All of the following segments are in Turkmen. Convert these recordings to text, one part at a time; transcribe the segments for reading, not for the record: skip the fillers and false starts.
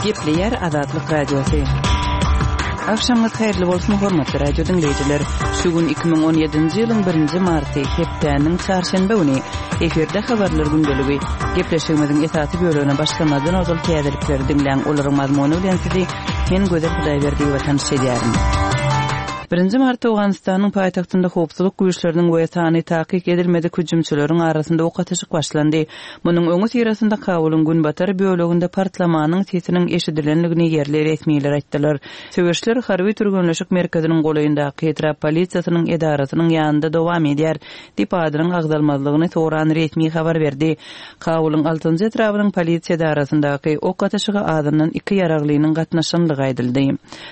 Gepleýär Azatlyk Radiosy. Agşamyňyz haýyrly bolsun, hormatly radio diňleýjiler. Şu gün 2017-nji ýylyň birinji marty, hepdäniň çarşenbe güni. Efirde habarlar gündeligi. Gepleşigimiziň esasy bölegine başlamazdan ozal täzelikleri diňläň, olaryň mazmuny bilen sizi men Gözel Hudaýberdiýewa tanyş edýärin. Birinji martda Owganystanyň paýtagtynda howpsuzlyk güýçleriniň we sany takyk edilmedik hüjümçileriň arasynda ok atyşyk başlandy. Munuň öňüsyrasynda Kabulyň günbatar böleginde partlamanyň sesiniň eşidilendigini ýerli resmiler aýtdylar. Söweşler harby türgenleşik merkeziniň golaýyndaky etrap polisiýasynyň edarasynyň ýanynda dowam edýär, diýip, adynyň agzalmazlygyny soran resmi habar berdi. Kabulyň altynjy etrabynyň polisiýa edarasyndaky ok atyşyga azyndan iki ýaraglynyň gatnaşandygy aýdyldy.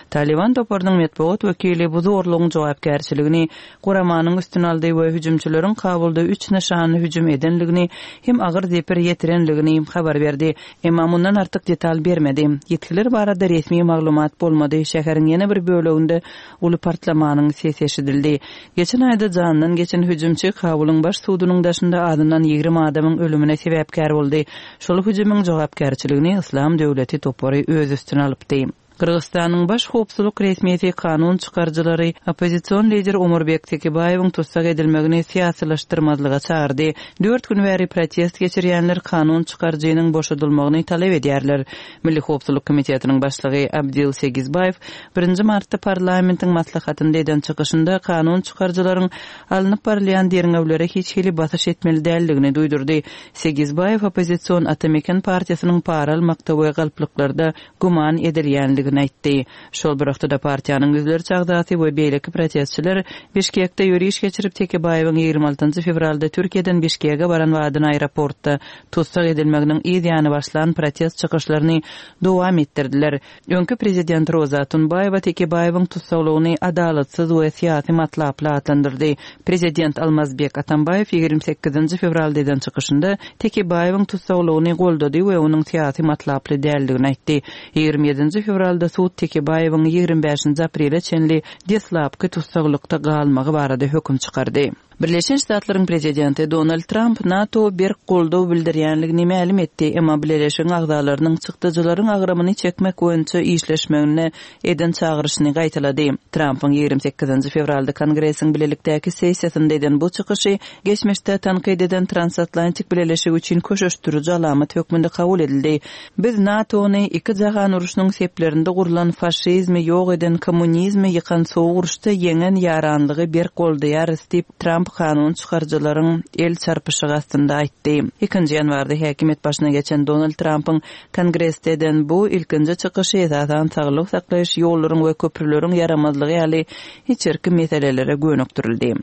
Talyban toparynyň metbugat wekili bu zorlugyň jogapkärçiligini guramanyň üstüne aldy we hüjümçileriň Kabulda üç nyşanly hüjüm edendigini hem agyr zeper ýetirendigini habar berdi. Emma mundan artyk detal bermedi. Ýitgiler barada resmi maglumat bolmady. Şäheriň ýene bir böleginde uly partlamanyň sesi eşidildi. Geçen aýda janyndan geçen hüjümçi Kabulyň baş sudunyň daşynda azyndan 20 adamyň ölümine sebäpkär boldy. Şol hüjümiň jogapkärçiligini Yslam döwleti topary öz üstüne alypdy. Gyrgyzystanyň baş howpsuzlyk resmisi kanun çykaryjylary oppozision lider Omurbek Tekebaýewiň tussag edilmegini syýasylaşdyrmazlyga çagyrdy. Dört gün bäri protest geçirýänler kanun çykaryjynyň boşadylmagyny talap edýärler. Milli howpsuzlyk komitetiniň başlygy Abdil Segizbaýew birinji martda parlamentiň maslahatynda eden çykyşynda kanun çykaryjylaryň alnyp barylýan derňewlere hiç hili basyş etmeli däldigini duýdurdy. Segizbaýew oppozision Ata Meken partiýasynyň para almakda we galplyklarda güman edilýändigini aýtdy. Şol bir wagtda-da partiýanyň ýüzlerçe agzasy we beýleki protestçiler Bişkekde ýöriş geçirip, Tekebaýewiň 26 fewralda Türkiýeden Bişkege baran badyna aeroportda tussag edilmeginiň yz ýany başlan protest çykyşlaryny dowam etdirdiler. Öňki prezident Roza Otunbaýewa Tekebaýewiň tussaglygyny adalatsyz we syýasy matlaply atlandyrdy. Prezident Almazbek Atambaýew 28 fewralda eden çykyşynda Tekebaýewiň tussaglygyny goldady we onuň syýasy matlaply däldigini aýtdy. 27 fewralda sud Tekebaýewiň 25 aprele çenli deslapky tussaglykda galmagy barada höküm çykardy. Birleşen Ştatlaryň prezidenti Donald Tramp NATO berk goldaw bildirýänligini mälim etdi, emma bileleşigiň agzalarynyň çykdajylaryň agramyny çekmek boýunça işleşmegine eden çagyryşyny gaýtalady. Trampyň 28 fewralda Kongresiň bilelikdäki sessiýasynda eden bu çykyşy geçmişde tankyt eden transatlantik bileleşigi üçin köşeşdiriji alamat hökmünde kabul edildi. Biz NATO-ny iki jahan urşunyň seplerinde gurlan faşizmi ýok eden kommunizmi ýykan sowuk uruşda ýeňen ýaranlygy berk goldaýarys diýip, Tramp kanun çykaryjylaryň el çarpyşygy astynda aýtdy. Ikinji ýanwarda häkimiýet başyna geçen Donald Trampyň Kongresde eden bu ilkinji çykyşy esasan saglygy saklaýyş, ýollaryň we köprüleriň ýaramazlygy ýaly içerki meselelere gönükdirildi.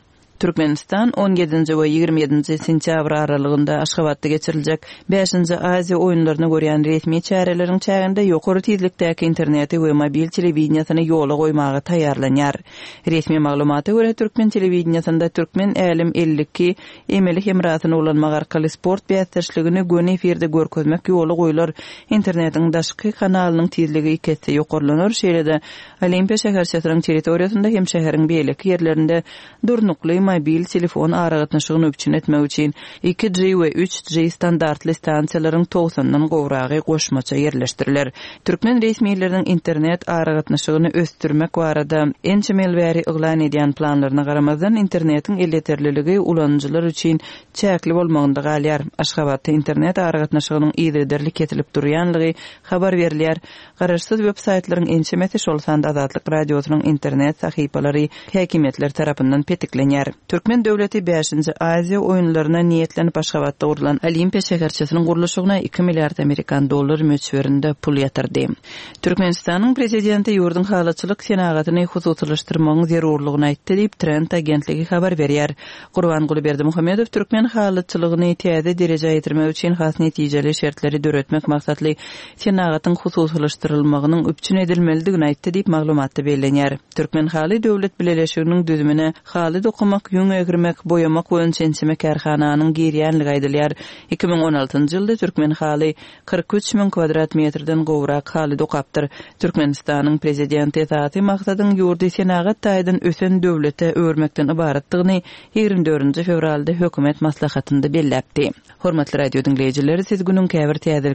Türkmenistan on ýedinji we 27 nji sentýabr aralygynda Aşgabatda geçiriljek bäşinji Aziýa oýunlaryny görýän resmi çäreleriň çäginde ýokary tizlikdäki interneti we mobil telewideniýesini ýola goýmaga taýýarlanýar. Resmi maglumata görä, türkmen telewideniýesinde Türkmen Älem 52 emeli hemrasyny ulanmak arkaly sport bäsdeşligini göni efirde görkezmek ýola goýlar, internetiň daşky kanalynyň tizligi iki esse ýokarlanar, şeýle-de Olimpiýa şäherçesiniň territoriýasynda hem şäheriň beýleki ýerlerinde durnukly mobil telefon aragatnaşygyny üpjün etmek üçin 2G we 3G standartly stansiýalaryň togsandan gowragy goşmaça ýerleşdiriler. Türkmen resmileriniň internet aragatnaşygyny ösdürmek barada ençeme ýyl bäri yglan edýän planlaryna garamazdan, internetiň elýeterliligi ulanyjylar üçin çäkli bolmagynda galýar. Aşgabatda internet aragatnaşygynyň yzygiderli kesilip durýanlygy habar berilýär. Garaşsyz web-saýtlaryň ençemesi, şol sanda Azatlyk Radiosynyň internet sahypalary häkimiýetler tarapyndan petiklenýär. Türkmen döwleti bäşinji Aziýa oýunlaryna niýetlenip Aşgabatda gurlan Olimpiýa şäherçesiniň gurluşygyna iki milliard amerikan dollar möçberinde pul ýatyrdy. Türkmenistanyň prezidenti ýurduň halyçylyk senagatyny hususylaşdyrmagyň zerurlygyny aýtdy diýip, Trend agentligi habar berýär. Gurbanguly Berdimuhamedow türkmen halyçylygyny täze derejä ýetirmek üçin has netijeli şertleri döretmek maksatly senagatyň hususylaşdyrylmagynyň üpjün edilmelidigini aýtdy diýip, maglumatda bellenýär. Türkmenhaly döwlet bileleşiginiň düzümine haly dokamak, ýüň egirmek, boýamak boýunça ençeme kärhananyň girýänligi aýdylýar. 2016-njy ýylda Türkmenhaly 43 müň kwadrat metrden gowrak haly dokapdyr. Türkmenistanyň Prezidenti esasy maksadyň ýurdy senagat taýdan ösen döwlete öwürmekden ybaratdygyny 24 fewralda hökümet maslahatynda belläpdi. Hormatly radio diňleýjiler, siz günüň käbir täzeliklerini.